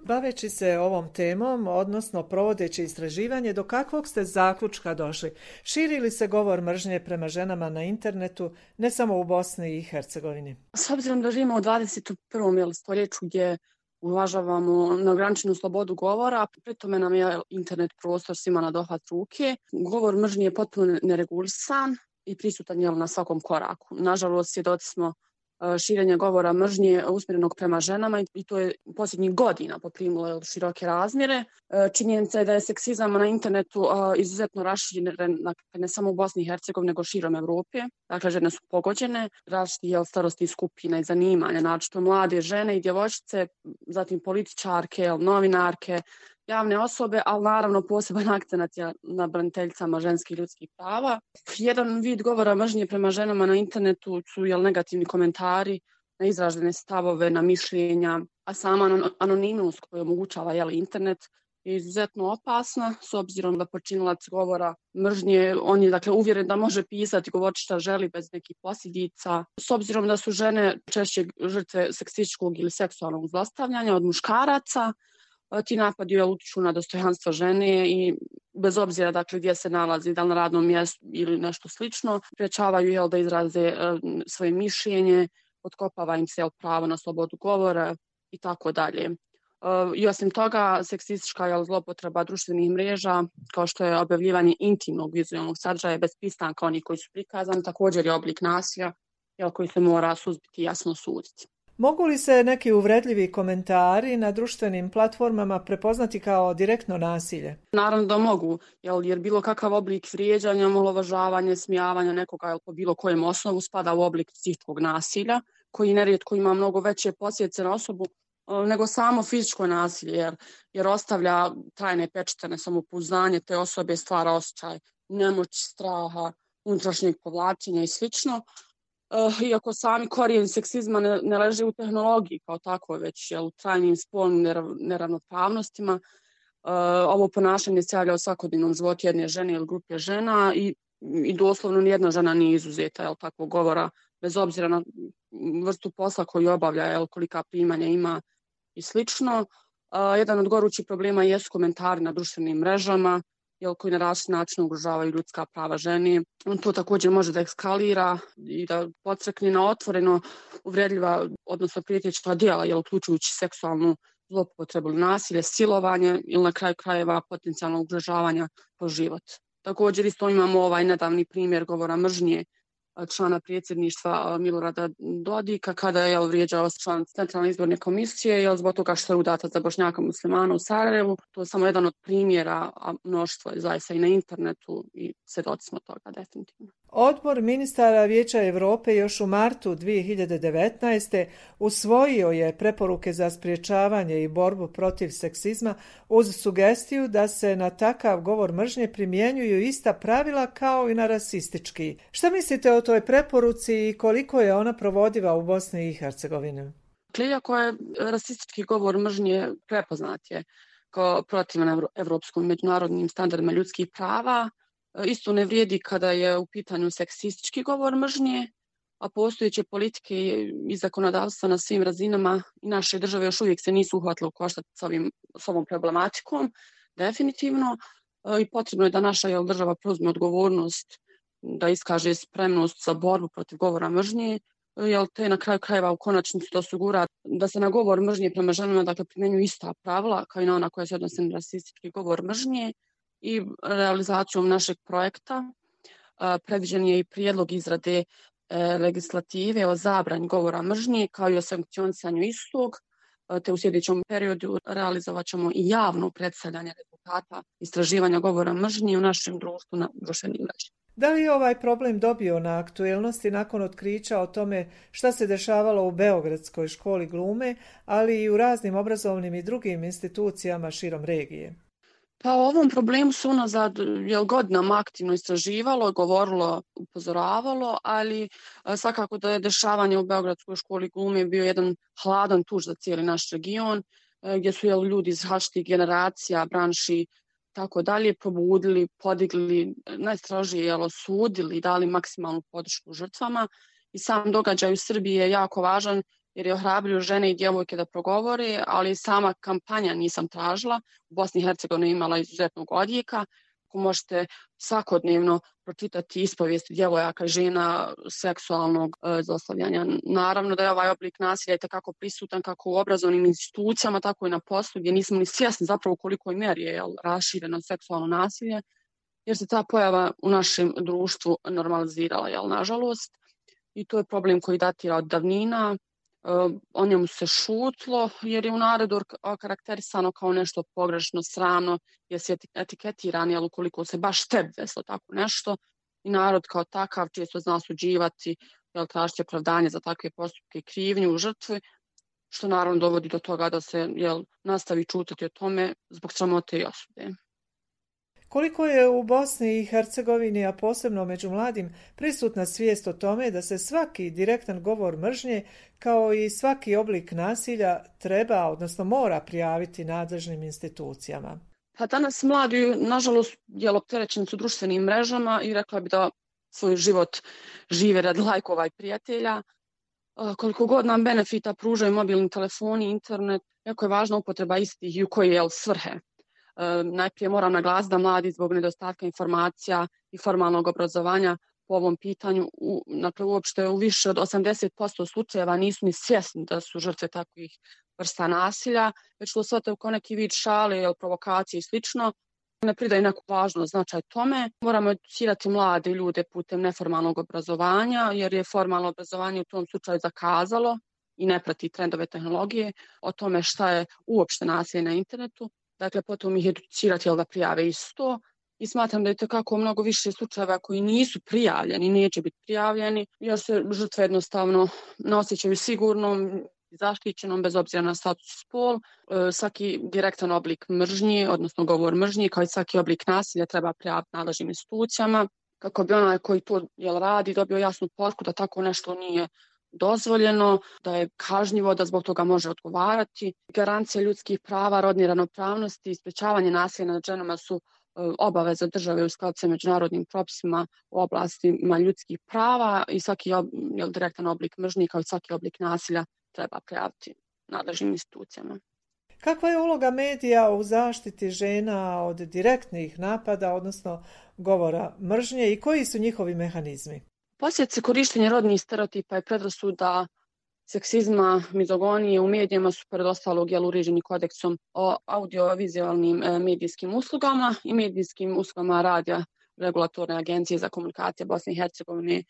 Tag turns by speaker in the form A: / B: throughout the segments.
A: Baveći se ovom temom, odnosno provodeći istraživanje, do kakvog ste zaključka došli? Širi li se govor mržnje prema ženama na internetu, ne samo u Bosni i Hercegovini?
B: S obzirom da živimo u 21. stoljeću gdje uvažavamo neograničenu slobodu govora, pri tome nam je internet prostor svima na dohvat ruke. Govor mržnje je potpuno neregulisan i prisutan je na svakom koraku. Nažalost, svjedoci smo širenja govora mržnje usmjerenog prema ženama i to je posljednjih godina poprimilo široke razmjere. Činjenica je da je seksizam na internetu izuzetno raširen ne samo u Bosni i Hercegovini, nego širom Evrope. Dakle, žene su pogođene, različitih starostnih skupina i zanimanja, naročito mlade žene i djevojčice, zatim političarke, novinarke, javne osobe, ali naravno poseban akcenat je na braniteljicama ženskih ljudskih prava. Jedan vid govora mržnje prema ženama na internetu su negativni komentari na izražene stavove, na mišljenja, a sama anonimnost koju omogućava internet je izuzetno opasna, s obzirom da počinilac govora mržnje, on je uvjeren da može pisati, govoriti šta želi bez nekih posljedica. S obzirom da su žene češće žrtve seksističkog ili seksualnog zlostavljanja od muškaraca, ti napadi utiču na dostojanstvo žene i bez obzira gdje se nalazi, da li na radnom mjestu ili nešto slično, sprječavaju da izraze svoje mišljenje, potkopava im se pravo na slobodu govora i tako dalje. I osim toga, seksistička zlopotreba društvenih mreža, kao što je objavljivanje intimnog vizualnog sadržaja bez pristanka onih koji su prikazani, također je oblik nasilja koji se mora suzbiti i jasno suditi.
A: Mogu li se neki uvredljivi komentari na društvenim platformama prepoznati kao direktno nasilje?
B: Naravno da mogu, jer bilo kakav oblik vrijeđanja, omalovažavanja, smijavanja nekoga po bilo kojem osnovu spada u oblik psihičkog nasilja, koji nerijetko ima mnogo veće posljedice na osobu nego samo fizičko nasilje, jer ostavlja trajne pečate na samopouzdanje te osobe, stvara osjećaj nemoći, straha, unutrašnjeg povlačenja i slično. Iako sami korijen seksizma ne leži u tehnologiji kao tako, već u trajnim spolnim neravnopravnostima. Ovo ponašanje se javlja u svakodnevnom životu jedne žene ili grupe žena i doslovno nijedna žena nije izuzeta takvog govora, bez obzira na vrstu posla koju obavlja, kolika primanja ima i slično. Jedan od gorućih problema jesu komentari na društvenim mrežama, koji na različit način ugrožavaju ljudska prava žene. To također može da eskalira i da podstakne na otvoreno uvredljiva, odnosno prijetečna djela, uključujući seksualnu zloupotrebu ili nasilje, silovanje ili na kraju krajeva potencijalno ugrožavanja po život. Također isto imamo nedavni primjer govora mržnje člana predsjedništva Milorada Dodika kada je vrijeđao član Centralne izborne komisije zbog toga što je udata za Bošnjaka muslimana u Sarajevu. To je samo jedan od primjera, a mnoštvo je zaista i na internetu i svjedoci smo toga definitivno.
A: Odbor ministara Vijeća Europe još u martu 2019. usvojio je preporuke za sprječavanje i borbu protiv seksizma uz sugestiju da se na takav govor mržnje primjenjuju ista pravila kao i na rasistički. Šta mislite o toj preporuci i koliko je ona provodiva u Bosni i Hercegovini?
B: Iako je rasistički govor mržnje prepoznat je kao protivan evropskim međunarodnim standardima ljudskih prava, isto ne vrijedi kada je u pitanju seksistički govor mržnje, a postojeće politike i zakonodavstva na svim razinama i naše države još uvijek se nisu uhvatile u koštac s ovom problematikom, definitivno. I potrebno je da naša država preuzme odgovornost, da iskaže spremnost za borbu protiv govora mržnje, te na kraju krajeva u konačnici da osigura da se na govor mržnje prema ženama primjenjuju ista pravila kao i na ona koja se odnose na rasistički govor mržnje. I realizacijom našeg projekta predviđen je i prijedlog izrade legislative o zabrani govora mržnje kao i o sankcionisanju istog, te u sljedećem periodu realizovat ćemo i javno predstavljanje rezultata istraživanja govora mržnje u našem društvu na društvenim mrežama.
A: Da li je ovaj problem dobio na aktuelnosti nakon otkrića o tome šta se dešavalo u Beogradskoj školi glume, ali i u raznim obrazovnim i drugim institucijama širom regije?
B: Pa o ovom problemu se unazad godinama aktivno istraživalo, govorilo, upozoravalo, ali svakako da je dešavanje u Beogradskoj školi glume bio jedan hladan tuž za cijeli naš region, gdje su ljudi iz različitih generacija, branši, tako dalje, probudili, podigli, najstrožije osudili, dali maksimalnu podršku žrtvama. I sam događaj u Srbiji je jako važan jer je ohrabrio žene i djevojke da progovore, ali sama kampanja nisam tražila. U Bosni i Hercegovini imala izuzetnog odjeka. Ako možete svakodnevno pročitati ispovijesti djevojaka i žena seksualnog zlostavljanja. Naravno da je ovaj oblik nasilja itekako prisutan kako u obrazovnim institucijama, tako i na poslu, gdje nismo ni svjesni zapravo u kolikoj mjeri je rašireno seksualno nasilje, jer se ta pojava u našem društvu normalizirala, nažalost. I to je problem koji datira od davnina. O njemu se šutlo jer je u narodu okarakterisano kao nešto pogrešno, sramno, jer se etiketiran, ukoliko se baš tebi desilo tako nešto, i narod kao takav često zna osuđivati, tražiti opravdanje za takve postupke i krivnju u žrtvi, što naravno dovodi do toga da se nastavi čutati o tome zbog sramote i osude.
A: Koliko je u Bosni i Hercegovini, a posebno među mladim, prisutna svijest o tome da se svaki direktan govor mržnje, kao i svaki oblik nasilja, treba, odnosno mora prijaviti nadležnim institucijama?
B: Pa danas mladi, nažalost, opterećeni su društvenim mrežama i rekla bi da svoj život žive radi lajkova i prijatelja. Koliko god nam benefita pružaju mobilni telefoni, internet, jako je važna upotreba istih i u koje svrhe. Najprije moram naglasiti da mladi zbog nedostatka informacija i formalnog obrazovanja po ovom pitanju, uopšte u više od 80% slučajeva nisu ni svjesni da su žrtve takvih vrsta nasilja, već to shvataju kao neki vid šale, provokacije i slično. Ne pridaju neku važnost, značaj tome. Moramo educirati mlade ljude putem neformalnog obrazovanja, jer je formalno obrazovanje u tom slučaju zakazalo i ne prati trendove tehnologije o tome šta je uopšte nasilje na internetu. Dakle, potom ih educirati da prijave isto. I smatram da je tako mnogo više slučajeva koji nisu prijavljeni, neće biti prijavljeni, jer se žrtve jednostavno ne osjećaju sigurnom i zaštićenom bez obzira na status i spol. Svaki direktan oblik mržnje, odnosno govor mržnje, kao i svaki oblik nasilja treba prijaviti nadležnim institucijama, kako bi onaj koji to radi dobio jasnu poruku da tako nešto nije dozvoljeno, da je kažnjivo, da zbog toga može odgovarati. Garancija ljudskih prava, rodne ravnopravnosti i sprečavanje nasilja nad ženama su obaveza države u skladu sa međunarodnim propisima u oblastima ljudskih prava i svaki direktan oblik mržnje kao i svaki oblik nasilja treba prijaviti nadležnim institucijama.
A: Kakva je uloga medija u zaštiti žena od direktnih napada, odnosno govora mržnje, i koji su njihovi mehanizmi?
B: Posljedice korištenja rodnih stereotipa i predrasuda, seksizma, mizogonije u medijima su pored ostalog uređeni kodeksom o audiovizualnim medijskim uslugama i medijskim uslugama radija Regulatorne agencije za komunikacije Bosne i Hercegovine,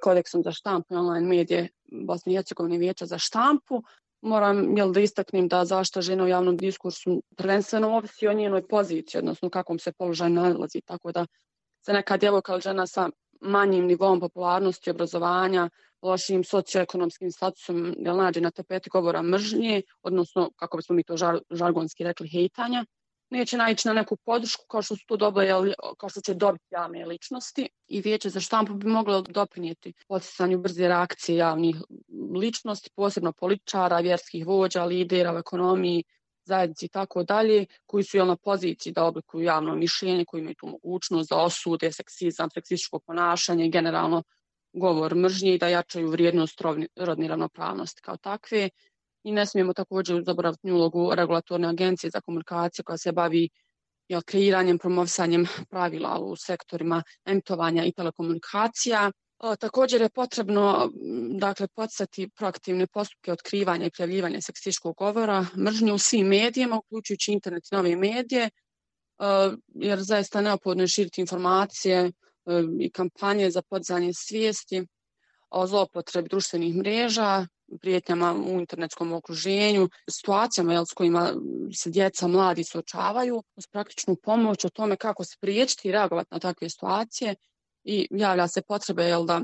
B: kodeksom za štampu i online medije Bosne i Hercegovine, Vijeća za štampu. Moram da istaknem da zaštita žena u javnom diskursu prvenstveno ovisi o njenoj poziciji, odnosno u kakvom se položaju nalazi, tako da se neka djevojka ili žena sa manjim nivom popularnosti, obrazovanja, lošim socioekonomskim statusom nađe na tapeti govora mržnje, odnosno, kako bismo mi to žargonski rekli, hejtanja, neće naići na neku podršku kao što su to kao što će dobiti javne ličnosti, i Vijeće za štampu bi moglo doprinijeti podsticanju brze reakcije javnih ličnosti, posebno političara, vjerskih vođa, lidera u ekonomiji, zajednici i tako dalje, koji su na poziciji da oblikuju javno mišljenje, koji imaju tu mogućnost da osude seksizam, seksističko ponašanje i generalno govor mržnje i da jačaju vrijednost rodne ravnopravnosti kao takve. I ne smijemo također zaboraviti ulogu Regulatorne agencije za komunikacije koja se bavi kreiranjem, promovisanjem pravila u sektorima emitovanja i telekomunikacija. Također je potrebno podsjetiti proaktivne postupke otkrivanja i prijavljivanja seksističkog govora mržnje u svim medijima, uključujući internet i nove medije, jer zaista neophodno je širiti informacije i kampanje za podizanje svijesti o zloupotrebi društvenih mreža, prijetnjama u internetskom okruženju, situacijama s kojima se djeca, mladi suočavaju, uz praktičnu pomoć o tome kako spriječiti i reagovati na takve situacije. I javlja se potrebe da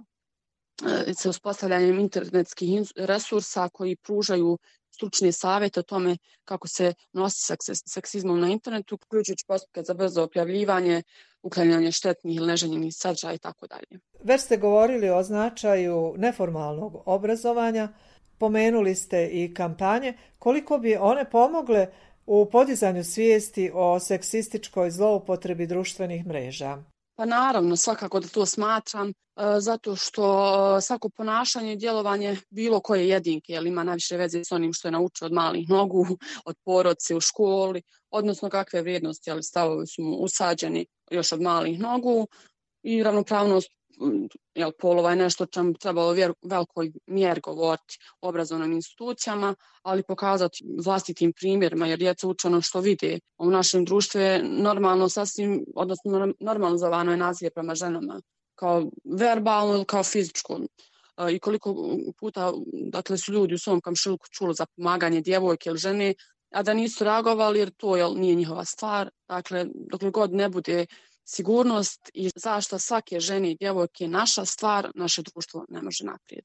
B: se uspostavljanjem internetskih resursa koji pružaju stručne savjete o tome kako se nosi seksizmom na internetu, uključujući postupke za brzo objavljivanje, uklanjanje štetnih ili neželjenih sadržaja i tako dalje.
A: Već ste govorili o značaju neformalnog obrazovanja, pomenuli ste i kampanje. Koliko bi one pomogle u podizanju svijesti o seksističkoj zloupotrebi društvenih mreža?
B: Pa naravno, svakako da to smatram, zato što svako ponašanje i djelovanje bilo koje jedinke, jer ima najviše veze s onim što je naučio od malih nogu, od porodice u školi, odnosno kakve vrijednosti, ali stavovi su mu usađeni još od malih nogu i ravnopravnost polova je nešto o čemu trebalo velikoj mjeri govoriti u obrazovnim institucijama, ali pokazati vlastitim primjerima, jer djeca uče ono što vide. U našem društvu je normalno sasvim, odnosno normalizovano je nasilje prema ženama, kao verbalno ili kao fizičko. I koliko puta dakle, su ljudi u svom komšiluku čuli za pomaganje djevojke ili žene, a da nisu reagovali jer to nije njihova stvar. Dakle, dokle god ne bude sigurnost i zaštita svake žene i djevojke naša stvar, naše društvo ne može naprijed.